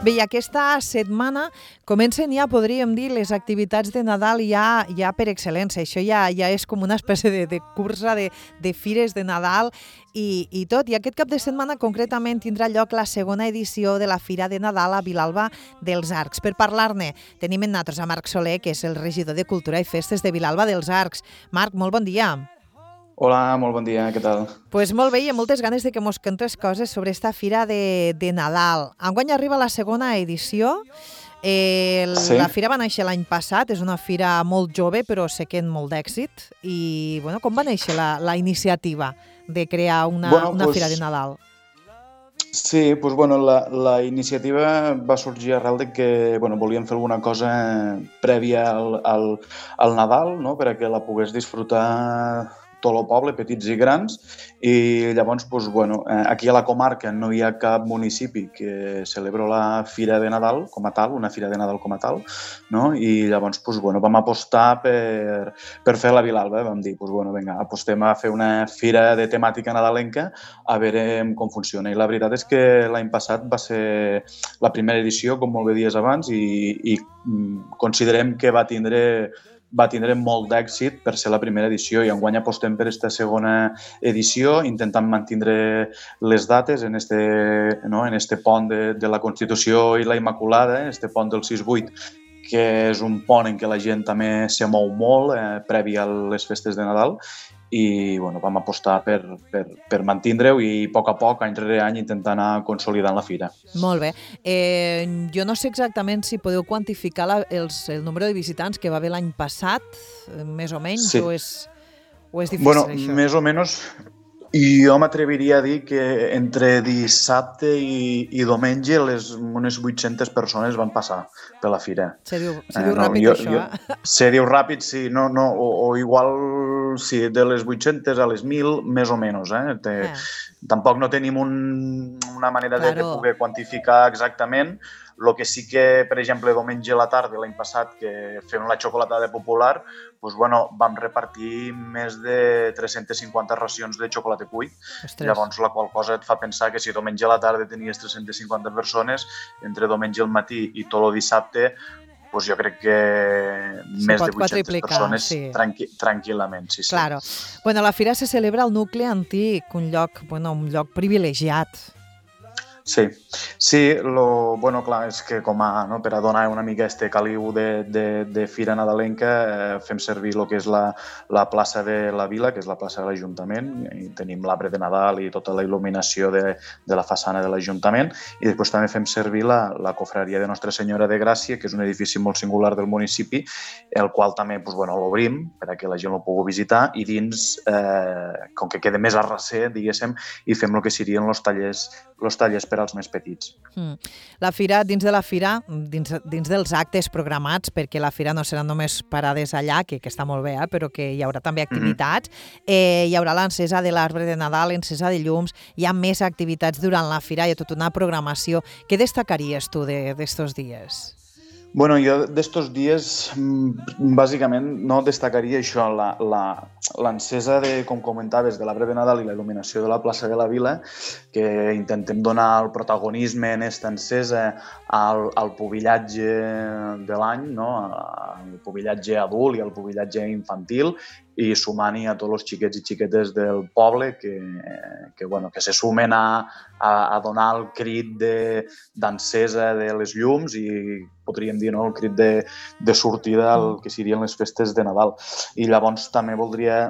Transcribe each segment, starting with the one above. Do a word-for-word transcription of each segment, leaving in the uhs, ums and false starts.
Bé, i aquesta setmana comencen ja, podríem dir, les activitats de Nadal ja, ja per excel·lència. Això ja, ja és com una espècie de, de cursa de, de fires de Nadal i, i tot. I aquest cap de setmana concretament tindrà lloc la segona edició de la Fira de Nadal a Vilalba dels Arcs. Per parlar-ne tenim en nosaltres a Marc Soler, que és el regidor de Cultura i Festes de Vilalba dels Arcs. Marc, molt bon dia. Hola, molt bon dia, què tal? Doncs pues molt bé, i amb moltes ganes de que mos contes coses sobre esta Fira de, de Nadal. Enguany arriba la segona edició. Eh, Sí? la fira va néixer l'any passat, és una fira molt jove, però sé que amb molt d'èxit. I bueno, com va néixer la, la iniciativa de crear una, Bueno, una pues, fira de Nadal? Sí, pues, bueno, la, la iniciativa va sorgir arrel de que bueno, volíem fer alguna cosa prèvia al, al, al Nadal, no?, per a que la pogués disfrutar tot el poble, petits i grans, i llavors, pues, bueno, aquí a la comarca no hi ha cap municipi que celebra la Fira de Nadal com a tal, una Fira de Nadal com a tal, no? I llavors, pues, bueno, vam apostar per, per fer la Vilalba, vam dir, pues, bueno, vinga, apostem a fer una fira de temàtica nadalenca a veure com funciona. I la veritat és que l'any passat va ser la primera edició, com molt bé dies abans, i, i considerem que va tindre va tindre molt d'èxit per ser la primera edició i enguany apostem per aquesta segona edició, intentant mantindre les dates en este, no, en este pont de, de la Constitució i la Immaculada, en este pont del sis vuit, que és un pont en què la gent també se mou molt, eh, previ a les festes de Nadal, i bueno, vam apostar per, per, per mantindre-ho i a poc a poc, any rere any, intentar anar consolidant la fira. Molt bé. Eh, jo no sé exactament si podeu quantificar la, els, el nombre de visitants que va haver l'any passat, més o menys, Sí. o, és, o és difícil, Bueno, això? més o menys, i jo m'atreviria a dir que entre dissabte i, i diumenge les, unes vuit-centes persones van passar per la fira. Se diu, se Eh, diu no, ràpid, jo, això, jo, eh? se diu ràpid, sí, no, no, o, o igual, sí, de les vuit-centes a les mil, més o menys. Eh? Te, eh. Tampoc no tenim un, una manera de, de Claro. poder quantificar exactament. El que sí que, per exemple, diumenge a la tarda, l'any passat, que fem la xocolatada popular, doncs, bueno, vam repartir més de tres-centes cinquanta racions de xocolata cuit. Ostres. Llavors, la qual cosa et fa pensar que si diumenge a la tarda tenies tres-centes cinquanta persones, entre diumenge al matí i tot el dissabte, doncs jo crec que Se més pot de vuit-centes quadruplicar, persones sí. tranqui tranquil·lament. Sí, sí. Claro. Bueno, la fira se celebra al nucli antic, un lloc, bueno, un lloc privilegiat. Sí, sí, lo, bueno, clar, és que com a, no, per a donar una mica este caliu de, de, de fira nadalenca eh, fem servir el que és la, la plaça de la Vila, que és la plaça de l'Ajuntament, i tenim l'arbre de Nadal i tota la il·luminació de, de la façana de l'Ajuntament, i després també fem servir la, la cofraria de Nostra Senyora de Gràcia, que és un edifici molt singular del municipi, el qual també pues, bueno, l'obrim per a que la gent el pugui visitar, i dins, eh, com que queda més a recer, diguéssim, i fem el que serien els tallers, els tallers per als més petits. Mm. La fira, dins de la fira, dins, dins dels actes programats, perquè la fira no serà només parades allà, que, que està molt bé, eh, però que hi haurà també activitats, mm-hmm. eh, hi haurà l'encesa de l'arbre de Nadal, l'encesa de llums, hi ha més activitats durant la fira, hi ha tota una programació. Què destacaries tu d'estos de, dies? Bueno, jo d'estos dies, bàsicament, no destacaria això, l'encesa, de, com comentaves, de l'arbre de Nadal i la il·luminació de la plaça de la Vila, que intentem donar el protagonisme en aquesta encesa al, al pubillatge de l'any, no? Al pubillatge adult i al pubillatge infantil, i sumant-hi a tots els xiquets i xiquetes del poble que, que, bueno, que se sumen a, a, a donar el crit d'encesa de, de les llums i podríem dir, no?, el crit de, de sortida al que serien les festes de Nadal. I llavors també voldria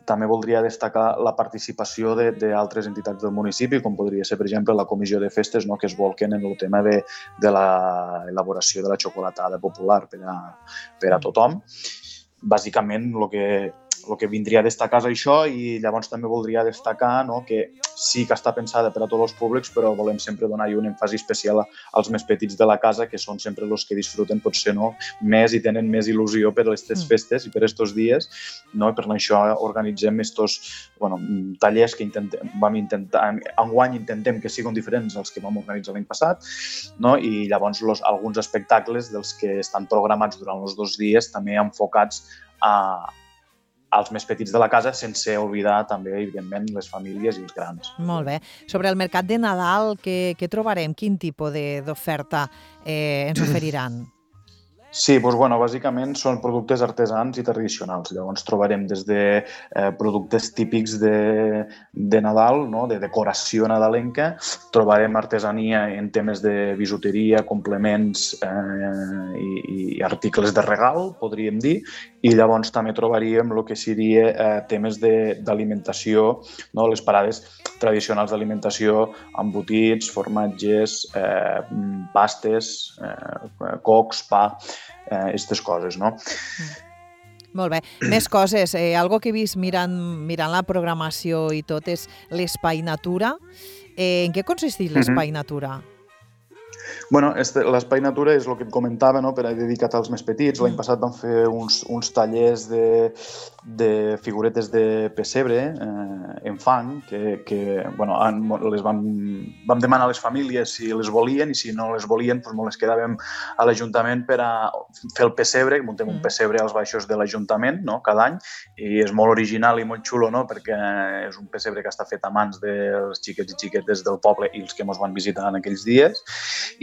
també voldria destacar la participació d'altres entitats del municipi, com podria ser, per exemple, la Comissió de Festes, no?, que es volquen en el tema de, de l'elaboració de la xocolatada popular per a, per a tothom. Bàsicament, el que, el que vindria a destacar és això, i llavors també voldria destacar, no?, que sí que està pensada per a tots els públics, però volem sempre donar-hi un èmfasi especial als més petits de la casa, que són sempre els que disfruten, potser, no?, més i tenen més il·lusió per aquestes festes i per aquests dies, no?, i per això organitzem estos, bueno, tallers que intentem, vam intentar, enguany intentem que siguin diferents als que vam organitzar l'any passat, no?, i llavors los, alguns espectacles dels que estan programats durant els dos dies també enfocats a als més petits de la casa, sense oblidar també, evidentment, les famílies i els grans. Molt bé. Sobre el mercat de Nadal, què, què trobarem? Quin tipus d'oferta eh, ens oferiran? Sí, doncs, bueno, bàsicament són productes artesans i tradicionals. Llavors trobarem des de eh, productes típics de, de Nadal, no? De decoració nadalenca, trobarem artesania en temes de bisuteria, complements eh, i, i articles de regal, podríem dir, i llavors també trobaríem el que seria eh, temes d'alimentació, no? Les parades tradicionals d'alimentació, embotits, formatges, eh, pastes, eh, cocs, pa, aquestes eh, coses, no? Mm. Molt bé. Més coses. Eh, algo que he vist mirant, mirant la programació i tot és l'Espai Natura. Eh, en què consisteix l'Espai mm-hmm. Natura? Bueno, este, l'Espai Natura és el que et comentava, no? Per a dedicat als més petits. L'any passat vam fer uns, uns tallers de, de figuretes de pessebre eh, en fang, que, que bueno, han, les vam, vam demanar a les famílies si les volien, i si no les volien, doncs molt les quedàvem a l'Ajuntament per a fer el pessebre. Muntem un pessebre als baixos de l'Ajuntament, no? Cada any, i és molt original i molt xulo, no? Perquè és un pessebre que està fet a mans dels xiquets i xiquetes del poble i els que ens van visitar en aquells dies.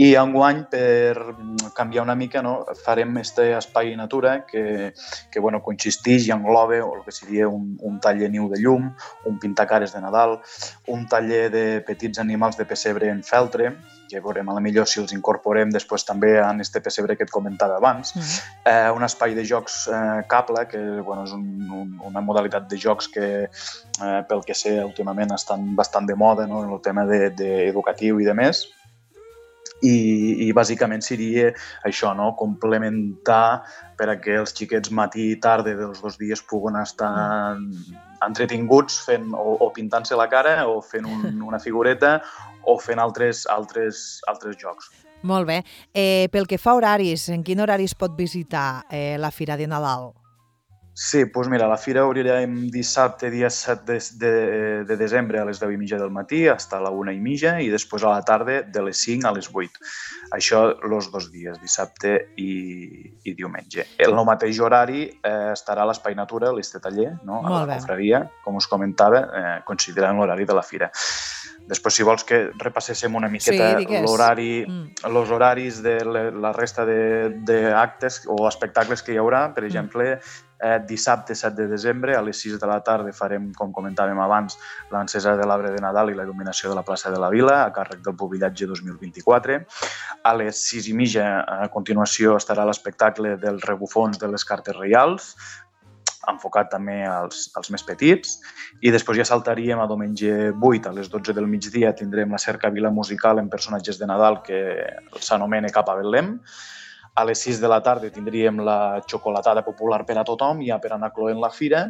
I enguany, per canviar una mica, no, farem este espai natura que, que bueno, consisteix i engloba el que seria un, un taller niu de llum, un pintacares de Nadal, un taller de petits animals de pessebre en feltre, que veurem a la millor si els incorporem després també en este pessebre que et comentava abans. Mm-hmm. eh, un espai de jocs eh, cable, que bueno, és un, un, una modalitat de jocs que, eh, pel que sé, últimament estan bastant de moda, no, en el tema de, de educatiu i de més. I, i bàsicament seria això, no? Complementar per a que els xiquets matí i tarda dels dos dies puguen estar entretinguts fent o, o pintant-se la cara o fent un, una figureta o fent altres, altres, altres jocs. Molt bé. Eh, pel que fa a horaris, en quin horari es pot visitar eh, la Fira de Nadal? Sí, doncs mira, la fira obrirem dissabte, dia set de, de, de desembre a les deu i mitja del matí, fins a la una i mitja, i després a la tarda de les cinc a les vuit. Això els dos dies, dissabte i, i diumenge. El mateix horari eh, estarà a l'Espai Natura, a l'Este Taller, no? A la confraria, com us comentava, eh, considerant l'horari de la fira. Després, si vols que repasséssim una miqueta sí, l'horari, mm. els horaris de la resta d'actes o espectacles que hi haurà, per exemple, Eh, dissabte set de desembre a les sis de la tarda farem, com comentàvem abans, l'encesa de l'arbre de Nadal i la il·luminació de la plaça de la Vila a càrrec del Pubillatge dos mil vint-i-quatre. A les sis i mitja, a continuació, estarà l'espectacle dels rebufons de les cartes reials, enfocat també als, als més petits, i després ja saltaríem a diumenge vuit, a les dotze del migdia tindrem la cercavila musical en personatges de Nadal que s'anomena Cap a Betlem. A les sis de la tarda tindríem la xocolatada popular per a tothom, ja per anar cloent la fira,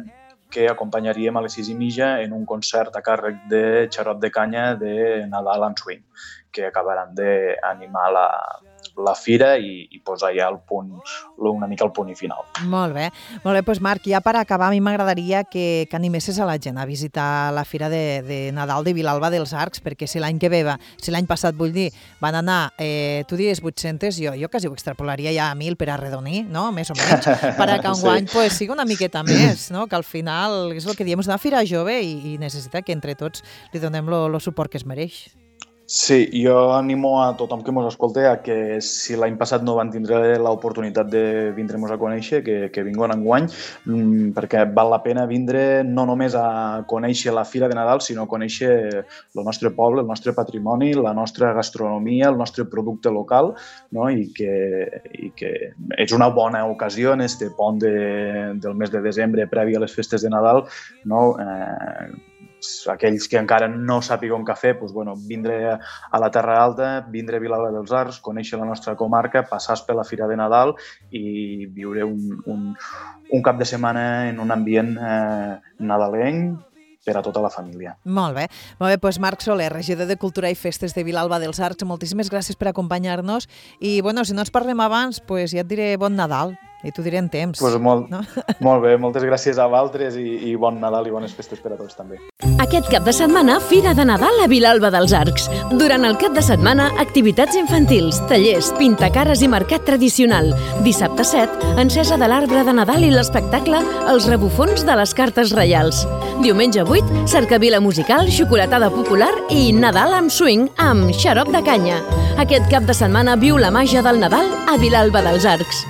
que acompanyaríem a les sis i mitja en un concert a càrrec de xarop de canya de Nadal and Swing, que acabaran d'animar la, la fira i, i posar ja el punt, una mica el punt i final. Molt bé. Molt bé, doncs Marc, ja per acabar, a mi m'agradaria que, que animessis a la gent a visitar la fira de, de Nadal de Vilalba dels Arcs, perquè si l'any que ve, va, si l'any passat, vull dir, van anar, eh, tu diries vuit-centes, jo, jo quasi ho extrapolaria ja a mil per arredonir, no? Més o menys, per a que enguany sí. pues, sigui una miqueta més, no? Que al final és el que diem, és una fira jove i, i necessita que entre tots li donem el suport que es mereix. Sí, jo animo a tothom que ens escolti a que si l'any passat no van tindre l'oportunitat de vindre-nos a conèixer, que, que vinguin enguany, perquè val la pena vindre no només a conèixer la Fira de Nadal, sinó a conèixer el nostre poble, el nostre patrimoni, la nostra gastronomia, el nostre producte local, no? I, que, i que és una bona ocasió en este pont de, del mes de desembre previ a les festes de Nadal, no? Eh, aquells que encara no sàpiguen què fer, doncs, bueno, vindre a la Terra Alta, vindre a Vilalba dels Arcs, conèixer la nostra comarca, passar per la Fira de Nadal i viure un, un, un cap de setmana en un ambient eh, nadalenc per a tota la família. Molt bé. Molt bé, doncs Marc Soler, regidor de Cultura i Festes de Vilalba dels Arcs, moltíssimes gràcies per acompanyar-nos i, bueno, si no ens parlem abans, doncs ja et diré bon Nadal I t'ho diré en temps. Pues molt, no? molt bé, moltes gràcies a vosaltres i, i bon Nadal i bones festes per a tots també. Aquest cap de setmana, Fira de Nadal a Vilalba dels Arcs. Durant el cap de setmana, activitats infantils, tallers, pintacares i mercat tradicional. Dissabte set, encesa de l'arbre de Nadal i l'espectacle Els rebufons de les cartes reials. Diumenge vuit, cercavila musical, xocolatada popular i Nadal amb swing amb xarop de canya. Aquest cap de setmana viu la màgia del Nadal a Vilalba dels Arcs.